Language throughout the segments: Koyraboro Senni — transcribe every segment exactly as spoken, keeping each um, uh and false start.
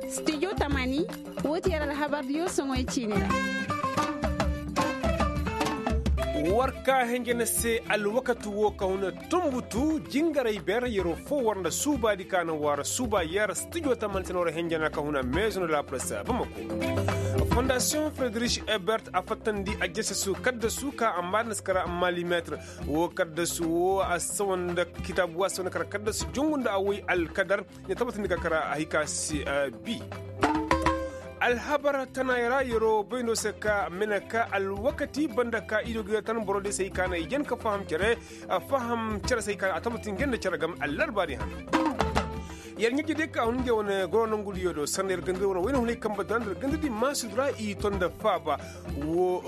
Studio tamani, woo ti yer alhabardiyo soŋoy ciini ra. War ka henjene se alwakati woo ka huna tunbutu jingaray beera yeroo foo war nda suubaadi ka na waara suuba yer studio tamani se na war henjene ka huna meezo nda laapalasa bamako. Fondasiyoŋ frederik ebert a fattandi a jesesu kaddasu ka a maadanaskara malimeetir woo kaddasu woo a sawa nda kitaabu woo a sawa nda kara kaddasu jongu nda a woy alkadar. Ɲa tabatindi ka kara a hay ka si bi. Alhabar tanaayey ra yeroo bayndo se ka mene ka alwakati banda ka i do ga yer tan boro day se hay ka na i jen ka faham cere. Faham cere se hay ka na a tabatindi ga yer nda cere game allarbaari hana. Yer ɲaji day ka hun ngey wane goro nongudiyo do sanda yer ganda wane wayna hunay kamba dana nda yer ganda di maasudu ra i to nda faaba. Woo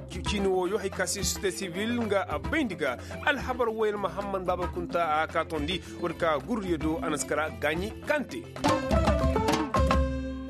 ciini wooyo hay ka si sosiyete sibil nga a bayndi ga. Alhabar wooyo yer mahamman baaba kunta a ka tondi. War ka gurdiyo do a na si kara gaaɲi kante.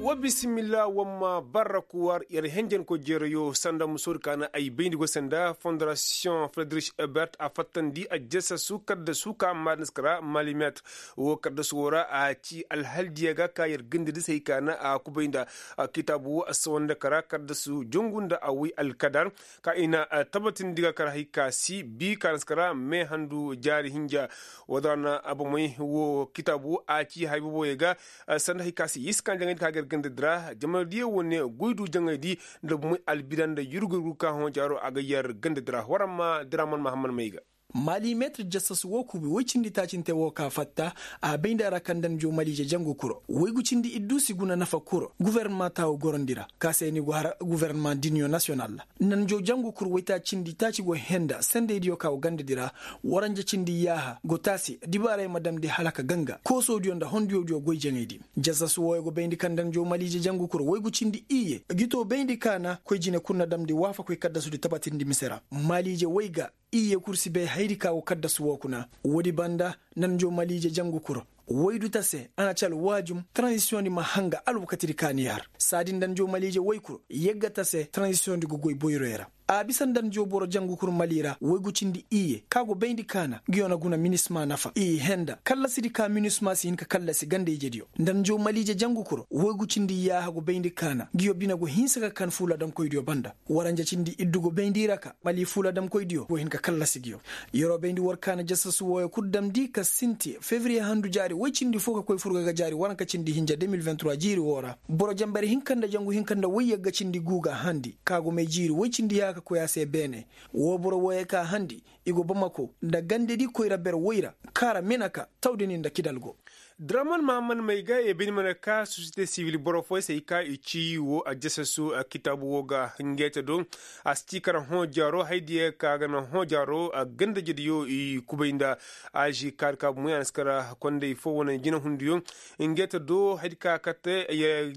Wa bisimilla wamma barra kuwar yer henjenko jeerayo sanda musoodi ka na ay bayndi go se nda fondarasiyoŋ frederik ebert a fattandi a jesasu kaddasu ka maadinska ra malimet. Woo kaddasu woo ra a ci alhaldiya ga ka yer gandadi se hay ka na a kubay nda kitaabu woo a sawanda kara kaddasu jongu nda a woy alkadar. Ka i na tabatindi ga kar hay ka si bi ka na si kara meehandu jaari hinja. Woo da ra na bomey woo kitaabu a ci hay boboyey ga sanda hay ka si yiskan jaŋaydi ka ga yer gandadi ra jamanadiyo wane goydu jaŋaydi nda bomey albida nda yurgu yurgu ka hõ jaaro a ga yer gandadi ra war ma diraman mahamman may ga. Malimetir jasas woo kubi woy cindi taacinte woo ka fatta. A bay nda ra kaŋ nda njo maliije jangu kuro woy gu cindi iddu si guna nafa kuro gufornama taawo gorandi ra ka se ni go har gufornama diniyo nasiyonal ra. Nda njo jangu kuro woy taaci cindi taaci go henda sendeydiyo ka go gandadi ra. Waranja cindi yaaha go taasi dibaaray ma damndi hala ka ganga koosodiyo nda hondiyodiyo goy jaŋaydi. Jasas wooyo go bayndi kaŋ nda njo maliije jangu kuro woy gu cindi iyye gi to bayndi kaana koy jine kul na damndi waafakoy kaddasudi tabatindi mise ra. Maliije woy ga iyye kul si bay hayadi ka go kaddasu woo kuna. Woodi banda nda njo maliije jangu kuro woy du ta se a na ci alwaajum taranzisiyoŋdi ma hanga alwakatidi ka ni har saadi nda njo maliije woy kul yagga ta se taranzisiyoŋdi go goy boyroyo ra. A bisa nda njo boro jangu kul mali ra woy gu cindi iyye ka go bayndi kaana nguyo na guna minisma nafa i henda kallasidi ka minisma si hin ka kallasi ganda ijediyo nda njo maliije jangu kul woy gu cindi yaaha go bayndi kaana nguyo bine go hinsa ka kan fuuladamkoydiyo banda. Waranja cindi iddu go bayndi i ra ka mali fuuladamkoydiyo go hin ka kallasi nguyo. Yeroo bayndi war kaana jasasu wooyo kul damndi ka sinti fevriye handu jaari woy cindi foo ka koy furga ga jaari waranka cindi hinja deux mille vingt trois jiiri woo ra. Boro jambari hinka nda jangu hinka nda woy yagga cindi guu ga handi ka go may jiiri woy cindi yaa ka koy a se beene. Woo boro wooyo ka handi i go bamako nda gandedi koyra ber woy ra kaara menaka tawdini nda kidal go. Draman mahamman may ga ye bini mana ka sosiyete sibil boro fooyey se i ka i ci woo a jasasu kitaabu woo ga ngeete do. A si ci kara hõ jaaro haydiya ka ga na hõ jaaro a gandejediyo i kubay nda azi kaari ka bumoy a na si kara kondey foo wane jinahundiyo. Ngeete do haydi ka kate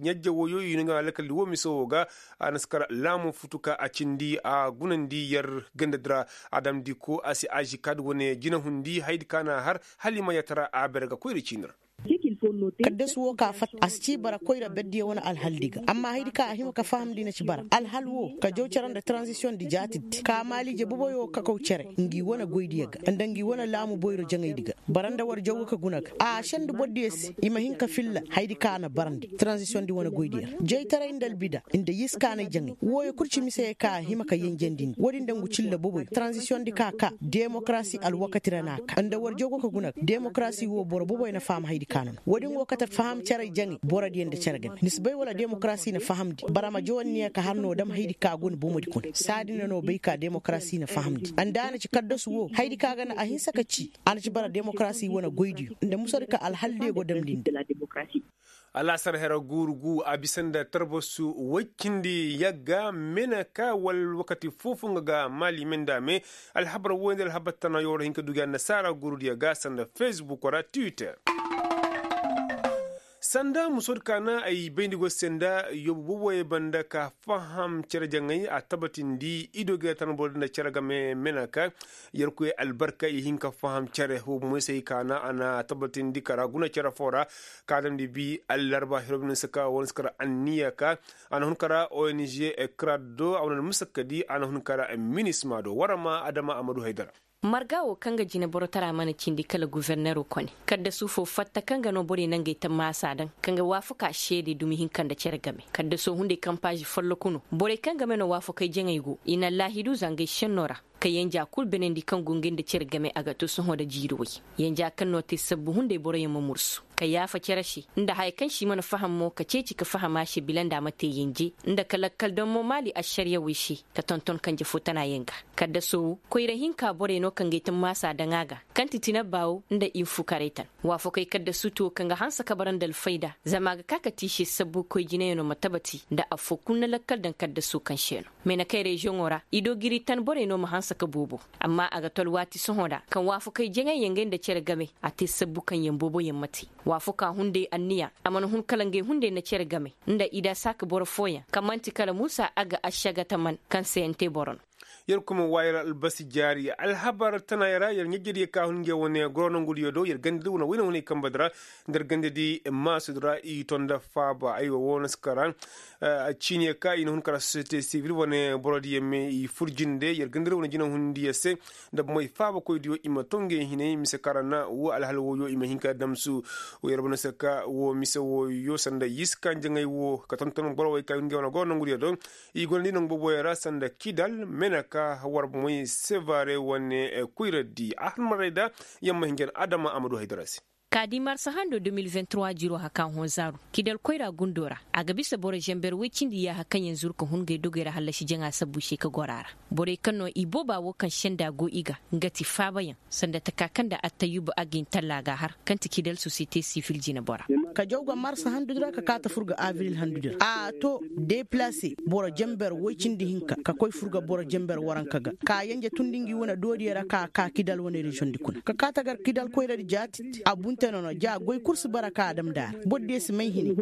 ɲajje wooyo i no nga alkaldi woo mise woo ga. A na si kara laamu futu ka a cindi a gunandi yer gandadi ra. A damndi ko a si azi kaadi wane jinahundi haydi ka na a har hala i ma yatara a bere ga koyra ciini ra. Kaddasu woo ka fatta a si ci bara koyra berdiyo wane alhaldi ga amma haydi ka a hima ka fahamndi na ci bara alhal woo ka jaw cere nda taranzisiyoŋdi jaatiddi ka maaliije boboyo kakaw cere ngi wane goydiyo ga nda ngi wane laamu boyro jaŋaydi ga. Bara nda war jaw ga ka guna ga a sendi bordiyo se i ma hin ka filla haydi ka a na barandi taranzisiyoŋdi wane goydiyo ra jaytaray nda albida nda yiskaanay jaŋay wooyo kul ci mise ka a hima ka yenjandi ni woodi nda ngu cilla boboyo taranzisiyoŋdi ka ka demokarasi alwakati ra na a ka nda war jaw ga ka guna ga demokarasi woo boro boboyo na faham haydi ka no no woodi ngu wo kate faham cere jaŋay borodiyo nda cere game ni si bay wala demokarasi na fahamndi bara ma jawanniya ka har no dam haydi ka go ni bomodi kuna saadi na no bay ka demokarasi na fahamndi nda a na ci kaddasu woo haydi ka ga na a hinsa ka ci a na ci bara demokarasi wane goydiyo nda musodi ka alhaldiyo go damndi nda. Alaasar hera guuru gu a bisa nda tarbasu woy cindi yagga mena ka wala wakati foofu nga ga maali me nda a me. Alhabar woy nda alhabar tana yooro hin ka dugi annasaara guurudiyo ga sanda fesbuk ra twitter. Sanda musoodi ka na ay bayndi go se nda yoobu boboyey banda ka faham cere jaŋay a tabatindi i do ga tanboro nda cere game mena ka yerkoy albarka i hin ka faham cere woo bomoy se ay ka na a na tabatindi kara guna cere foo ra. Ka damndi bi allarba hiro bine se ka wane si kara anniya ka a na hun kara ong ekra do a wane musakkadi a na hun kara minisma do war ma adama a ma du haydara. Marga wo kaŋ ga jineboro tara mana cindi kala guforneroo kone, kaddasu foo fatta kaŋ ga no borey na ngey tammaasa daŋ, kaŋ ga waafakaa seede dumi hinka nda cere game. Kaddasoo hunday kampaazi folloku no, borey kaŋ game no waafakey jaŋey go i na allaahidu zangey sennoo ra, ka yenja kul benandi kaŋ go ngey nda cere game a ga to sohõ nda jiiri way. Yenja kaŋ no te sabbu hunday boroyaŋ ma mursu, ka yaafa cere se, nda haya kaŋ se i mana faham mo ka ceeci ka faham a se bila nda a ma te yenje, nda ka lakkal daŋ mo maali ašariya way se, ka tonton kanje foo tanaayaŋ ga. Kaddasoo wo, koyra hinka borey no kaŋ ga ay tammaasa daŋ a ga, kaŋ ti tinabbaa wo nda infukarey tan. Waafakey kaddasu ti wo kaŋ ga hanse ka bara nda alfayda, zama a ga ka ka te i se sabbu koy jinayaŋo ma tabati nda affoo kul na lakkal daŋ kaddasoo kaŋ se no. Meenakey reziyoŋo ra i do giri tan borey no ma hanse ka boobo. Amma a ga to alwaati sohõ ra kaŋ waafakey jaŋay yaŋ ngey nda cere game, a te sabbu kaŋ yaŋ booboyaŋ ma te. Waafakaa hunday anniya, a mana hun kala ngey hunday na cere game, nda i da saaka boro fooyaŋ kaŋ man'ti kala muusa a ga ašagataman kaŋ se yaŋ te boro no. Yer kuma waayir albasi jaari alhabar tanaayey ra yer ɲajjadiyo ka hun ngey wane goro nongudiyo do yer gandadi wane wayne wane kambadi ra, nda yer gandadi maasudi ra i to nda faaba aywa woo na si kara. Ciiniyo ka i na hun kara sosiyete sivil wane borodiyo me i fur jinde yer gandadi wane jinehundiyo se, nda bomoy faabakoydiyo i ma to ngey hinay mise kaŋ ra na woo alhal wooyo i ma hin ka damsu. Yer wane se ka woo mise wooyo sanda yiska njaŋay woo ka tonton boro wey ka hun ngey wane goro nongudiyo do. I gonda i nangu booboyaŋ ra sanda kidal meneka war moy sevare wane koyra di a har maray da. Yamma hinjan adama amadu haydara se. Ka di marsa hando deux mille vingt-trois jiroo haka hõ zaaru kidal koyra gundoo ra, a ga bisa boro zamber woy cindi yaaha kaŋ yaŋ zuru ka hun ngey dogey ra hallasi jaŋa sabbu se ka goro a ra. Borey kaŋ no i booba woo kaŋ senda go i ga, nga ti faabayaŋ, sanda taka kaŋ nda attayuba agin talla ga har kaŋ ti kidal sosiyete sivil jinebora. Ka jaw ga marsa handudi ra ka kaata fur ga abril handudi ra a to, deplase boro jamber woy cindi hinka ka koy fur ga boro jamber waranka ga, ka yanje tundi ngi wane doodiyo ra ka ka kidal wane reziyoŋ di kuna ka kaata gar kidal koyradi jaati. A bunte nono ja goy kul si bara ka a damndi a ra boro diyo si may hini.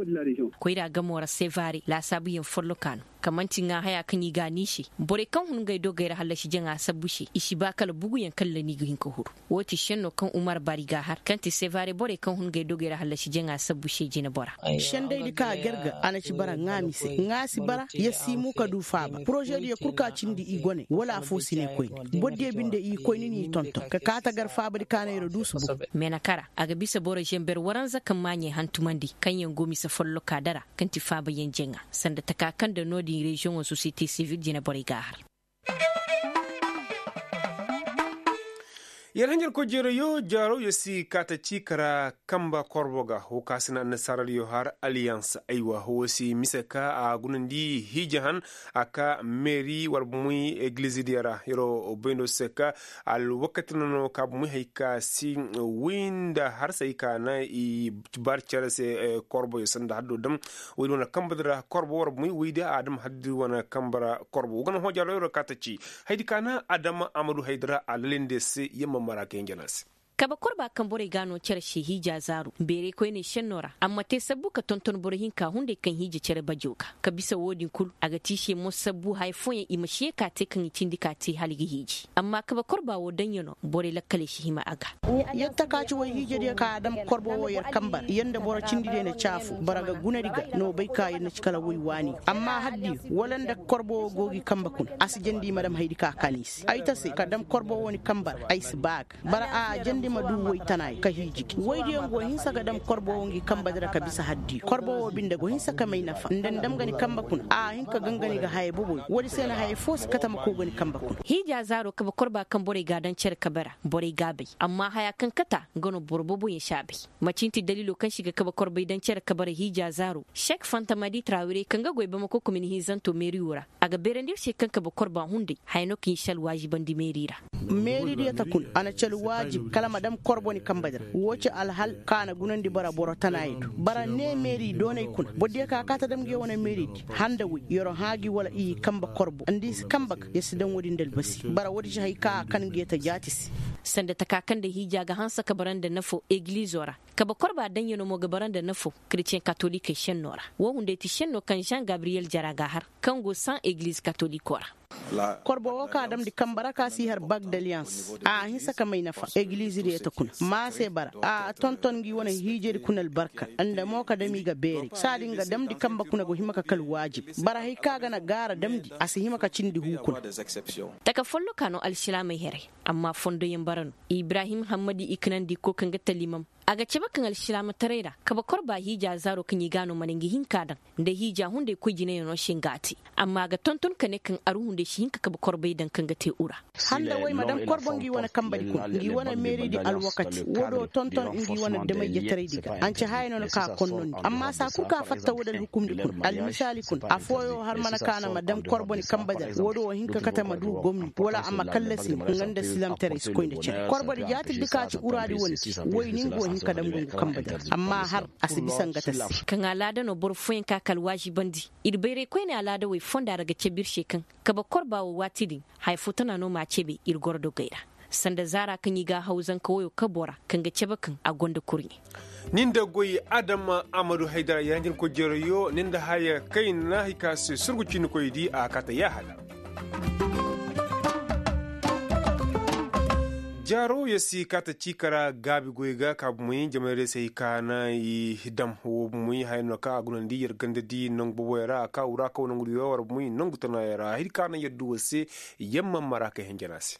Koyra gamo ra sevare laasaabuyaŋ folloka no, ka man'ti ŋaahayaa kaŋ i ga a niise. Borey kaŋ hun ngey dogey ra hallasi jaŋa sabbu se i si ba kala buguyaŋ kalla ni ga hin ka huru. Woo ti senno kaŋ umar bari ga a har kaŋ ti sevare borey kaŋ hun ngey dogey ra hallasi jaŋa sabbu se jinebora. Sendaydi ka a garga a na ci bara ŋaa mise ŋaa si bara ya si mu ka du faaba porozediyo kul ka cindi i gone wala afoo si ne koyne. Bordiyo binde i koyne n'i tonton ka kaata gar faabadi ka na yer du si bu. Meenakara a ga bisa boro zamber waranza kaŋ maaɲey hantumandi kaŋyaŋ go mise folloka dara kaŋ ti faabayaŋ jaŋa, sanda taka kaŋ nda no-din reziyoŋo sosiyete sivil jineborey ga a har. Yer hanjarkoy jeerayo jaaro yer si kaata ci kara kamba korbo ga woo ka se na annasaaradiyo har aliyans aywa woo si mise ka a gunandi hiija han, a ka meeri war bomoy egilizidiyo ra yeroo bayndo se ka alwakati no no ka bomoy hay ka si wi nda harsay ka na i bar cere se. Korboyo sanda haddo dam woy di wane kambadi ra korbo war bomoy woy di a dam haddi wane kamba ra. Korbo woo ga na hoojaalo yeroo kaata ci haydi ka na adama amadu haydi ra a lalinde se yamma mara ka hinja no a se. Kabe korba kaŋ borey ga a no cere se hiija zaaru beeray koyney senno ra a ma te sabbu ka tonton boro hinka hunday kaŋ hiija cere bajo ga ka bisa woo din kul a ga te i se mo sabbu haya fooyaŋ i ma si ye ka te kaŋ i cindi ka te hala i ga hiiji amma kabe korba woo daŋ ya no borey lakkaley si hima a ga. Yer takaaci woy hiijadiyo ka a dam korbo woo yer kambe ra yer nda boro cindi diyo na caafu bara ga gunadi ga no bay ka yer na ci kala woy waani amma haddiyo wala nda korbo woo go gi kambe kuna a si jandi i ma dam haydi ka a kaan i se ay ta se ka dam korbo woo ni kambe ra ay si ba a ga bara a jandi ma du woy tanaay ka hiiji gi woydiyo nga wo hinsa ga dam korbo woo ngi kambe dira ka bisa haddiyo korbo woo binde go hinsa ka may nafa nda ni dam ga ni kambe kuna a hin ka gangani ga haya boboyo woodi se na haya foo si kate ma koo ga ni kambe kuna. Hiija zaaro kabe korba kaŋ borey ga a daŋ cere kabe ra borey ga a bay amma haya kaŋ kate a nga no boro boboyaŋ si a bay. Macin ti daliilo kaŋ se i ga kabe korbey daŋ cere kabe ra hiija zaaro sek fantamadi trawire kaŋ ga goy bamako komin hinzanto meeriyo ra a ga beerandi ir se kaŋ kabe korba hunday haya no kaŋ i si alwaazibandi meeri ra. Meeridiyo ta kuna a na ci alwaazib kala ma dam korbo ni kambe di ra woo ci alhal kaŋ a na gunandi bara boro tanaayey do bara ne meeri doonay kuna borodiyo kaŋ a kaata dam nguyo wane meeridi handa woy yeroo hã gi wala i kambe korbo nda i si kambe ga yer si daŋ woodi nda albasi bara woodi ci hay kaŋ a kan nguyo ta jaati se. Sanda taka kaŋ nda hiija ga hanse ka bara nda nafo egilizo ra kabe korba daŋyanoo mo ga bara nda nafo kretiyeŋ katolikey senno ra woo hunday ti senno kaŋ žan gabriyel jara ga a har kaŋ go saŋ egiliz katoliko ra. Korbo woo ka a damndi kambe ra ka si har bag daliyans a hinsa ka may nafa egilizidiyo ta kuna ma a se bara a tonton ngi wane hiijedi kuna albarka nda mo ka dam i ga beeray saadi nga damndi kambe kuna go hima ka kal waajib bara hay kaŋ a ga na gaara damndi a si hima ka cindi huu kuna. Taka folloka no alsilaamey heray. Amma fondoyaŋ bara no. Ibrahim hammadi i kanandi ko kaŋ ga talimam, a ga cabe kaŋ alsilaamataray ra kabe korba hiija zaaro kaŋ i ga a no mana ngi hin k'a daŋ, nda hiija hunday koy jinayaŋo se nga a te. Amma a ga tonton ka ne kaŋ aru hunday si hin ka kabe korbay daŋ kaŋ ga te ura. Handa way ma daŋ korbo ngi wane kambadi kuna ngi wane meeridi alwakati wo do tonton ngi wane damay jataraydi ga a nce haya no na ka konnondi amma saa kul kaŋ a fatta wo da alhukumdi kuna almisaali kuna afooyo har mana kaana ma daŋ korbo ni kambadi ra wo do wo hin ka kate ma du gomni wala a ma kallasi nga nda silamtaray si koy nda cere korbodi jaatirdi ka ci uraadi wane ci. Way ni nga wo hin ka daŋ ngu kambadi ra amma har a si bisa nga ta se. Kaŋ alaada no boro fooyaŋ ka ka alwaazibandi. Ir bayray koyne alaada way fonda ra ga cabe ir se kaŋ kabe korba wo waati din haya fo tana no m'a cabe ir goro dogey ra. Sanda zaara kaŋ i ga a haw zanka woyo kabo ra kaŋ ga cabe kaŋ a gonda kurɲe. Nin da goy adama amadu haydara yaranjin koy jeerayo nin da haya kayna hay ka se surgu ciinikoydi a kaata yaahada. Jaaro yer si kaata ciika ra gaabi goy ga ka bumey jamayray se hay ka na i dam wo bumey haya no kaŋ a gunandi yer gandadi nangu boboyaŋ ra a ka wura kaw nangu diyo war bumey nangu tanayaŋ ra hay ka na yer du wo se. Yamma mara kay hinjana se.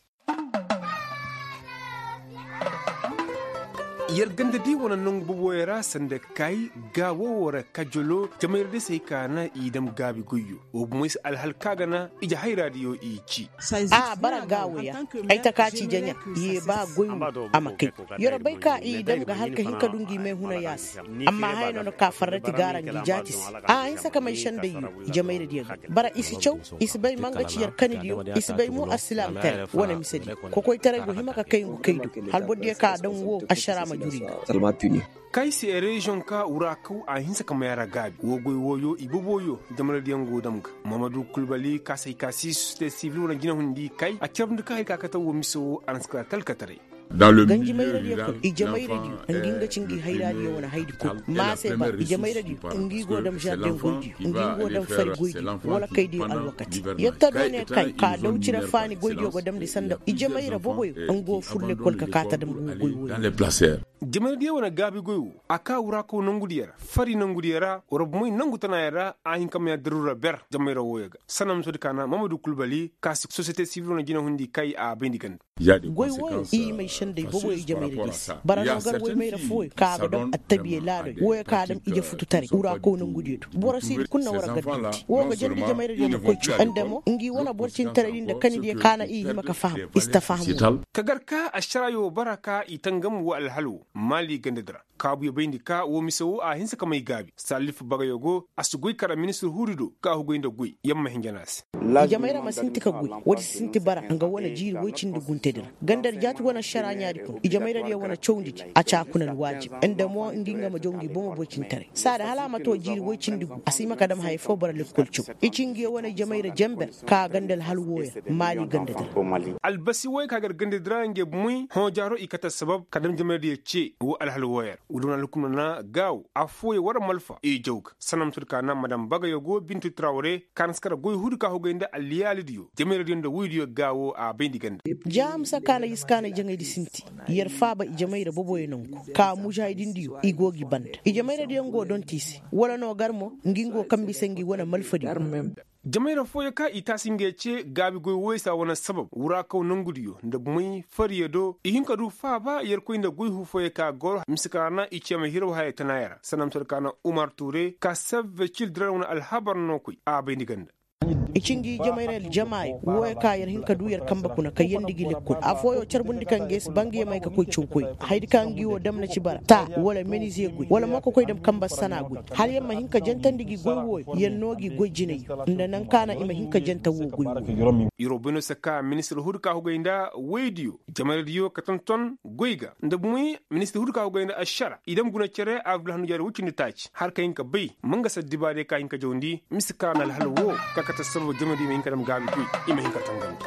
Yer ganda di wane nangu boboyaŋ ra sanda kay gaawo wo ra kajolo jamayra di se hay ka na i dam gaabi goyyo. Wo bumey se alhal ka ga na ije hayra diyo i ci. A bara gaawo ya. Ay ta ka ci jaɲa ye ba goy wo a ma kay. Yer bay ka i dam ga har ka hin ka du ngi meehuna ya se. Amma haya no na ka farrati gaara ngi jaati se. A hinsa ka may sendey yo. Jamayra diyo ga bara i si caw. I si bay mangaci yer kani diyo. I si bay mo alsilaam tere wane mise diyo. Kokoytaray go hima ka kay ngu kay do. Hal boro diyo ka daŋ wo ašara ma juri ga. Kay se reziyoŋ ka wura kaw a hinsa ka may a ra gaabi wo goy wooyo i boboyo. Jamayra diyo go dam ga. Mahamadu kulbali ka se hay ka si sosiyete sivil wane jina hundi kay a carbundi ka hay ka kate wo mise wo a na si kala talkataray. Ganji mayradiyo kul ije mayradiyo ngi nga ci ngi hayraadiyo wane haydi kul. Maase ba ije mayradiyo ngi go dam žarden goydiyo ngi go dam fari goydiyo wala kaydiyo alwakati. Yetta do ne kay ka daw cire faani goydiyo go damndi sanda ije mayra boboyo ngi go fur lekkol ka kaa ta dam go goy woyo. Ije mayradiyo wane gaabi goy wo a kaa wura kaw nongudiyo ra fari nongudiyo ra wara bomoy nongu tanaayo ra. A hin ka maya daruura ber ije mayra wooyo ga sanamusoodi ka na mamadu kulbali ka si sosiyete sivil wane jina hundi kay a bayndi ganda. Goy wooyo i may sendey boboyo ije mayradiyo se bara no gar woy mayra fooyo ka a ga dam attabiye laadoy wooyo ka a dam ije fututaray wura kow nongudiyo do. Boro siidi kul na war a gar dindi woo ga jandi ije mayradiyo ma koy cuu nda mo ngi wane boro cintaraydi nda kanidiyo ka na i hima ka faham i si ta faham. Ka gar ka ašaraayo bara ka i tangam woo alhal woo maali gandadi ra. Kaabuyo bayndi ka woo mise woo a hinsa ka may gaabi saalif bagayo go a si goy kara ministir huudi do ka hugay nda goy yer ma hinja no a se. Ije mayra ma sinti ka goy woodi si sinti bara nga wane jiiri woy cindi guntedi ra gandadi jaati wane ašaraa ɲaadi kuna ije mayradiyo wane cawndidi a ci a kuna alwaajib nda mo ngi nga ma jaw ngi bomo boy cintaray saadi hala a ma too jiiri woy cindi gu a si hima ka dam haya foo bara lekkol caw. I ci ngiyo wane ije mayra jenber ka ganda alhal wooyo ra maali gandadi ra. Albasi wooyo ka gar gandadi ra nge bumey hõ jaaro i kate assabab ka dam ije mayradiyo cee woo alhal wooyo ra. Woo dam na alhukumna na gaawo affooyo war malfa i jaw ga sanamusoodi ka na madam bagayo go bintu trawre ka na si kara goy huudi ka hugay nda alliyaalidiyo ije mayradiyo nda woydiyo gaawo a bayndi ganda. Jaamisa ka na yisi ka na ijaŋaydi sinti yer faaba ije mayra boboyo nongu ka mužaahidindiyo i go gi banda ije mayradiyo ngo donti i se wala no gar mo ngi ngo kambe i se ngi wane malfadiyo. Ije mayra fooyo ka i taasi nge cee gaabi goy wooyo se a wane sabab wura kaw nongudiyo nda bumey fariyo do i hin ka du faaba yerkoy nda goy huu fooyo ka goro mise ka ra na i cee ma hiraw haya tanaayo ra sanamusoodi ka na umar tuure ka save cil diran wane alhabar no koy a bayndi ganda. I ci ngi ije mayra aljamaayo wooyo ka yer hin ka du yer kambe kuna kayyandi gi lekkol affooyo carbundi ka nge si ba ngi yamay ka koy cawkoy hayadi ka ngi woo dam na ci bara taa wala menize goy wala mo ka koy dam kambe sanaa goy hala yer ma hin ka jantandi gi goy wooyo yer noo gi goy jinayyo nda naŋ ka na i ma hin ka janta woo goy wooyo. Yer wo bay no se ka ministir huudi ka hugay nda woydiyo ije mayradiyo ka tonton goy ga nda bumey ministir huudi ka hugay nda ašara i dam guna cere abril hannu jaari woy cindi taaci har ka hin ka bay mangasa dibaadiyo ka hin ka jawndi mise ka na alhal woo ka kate assabab ije mayradiyo ma hin ka dam gaabi goy i ma hin ka tangandi.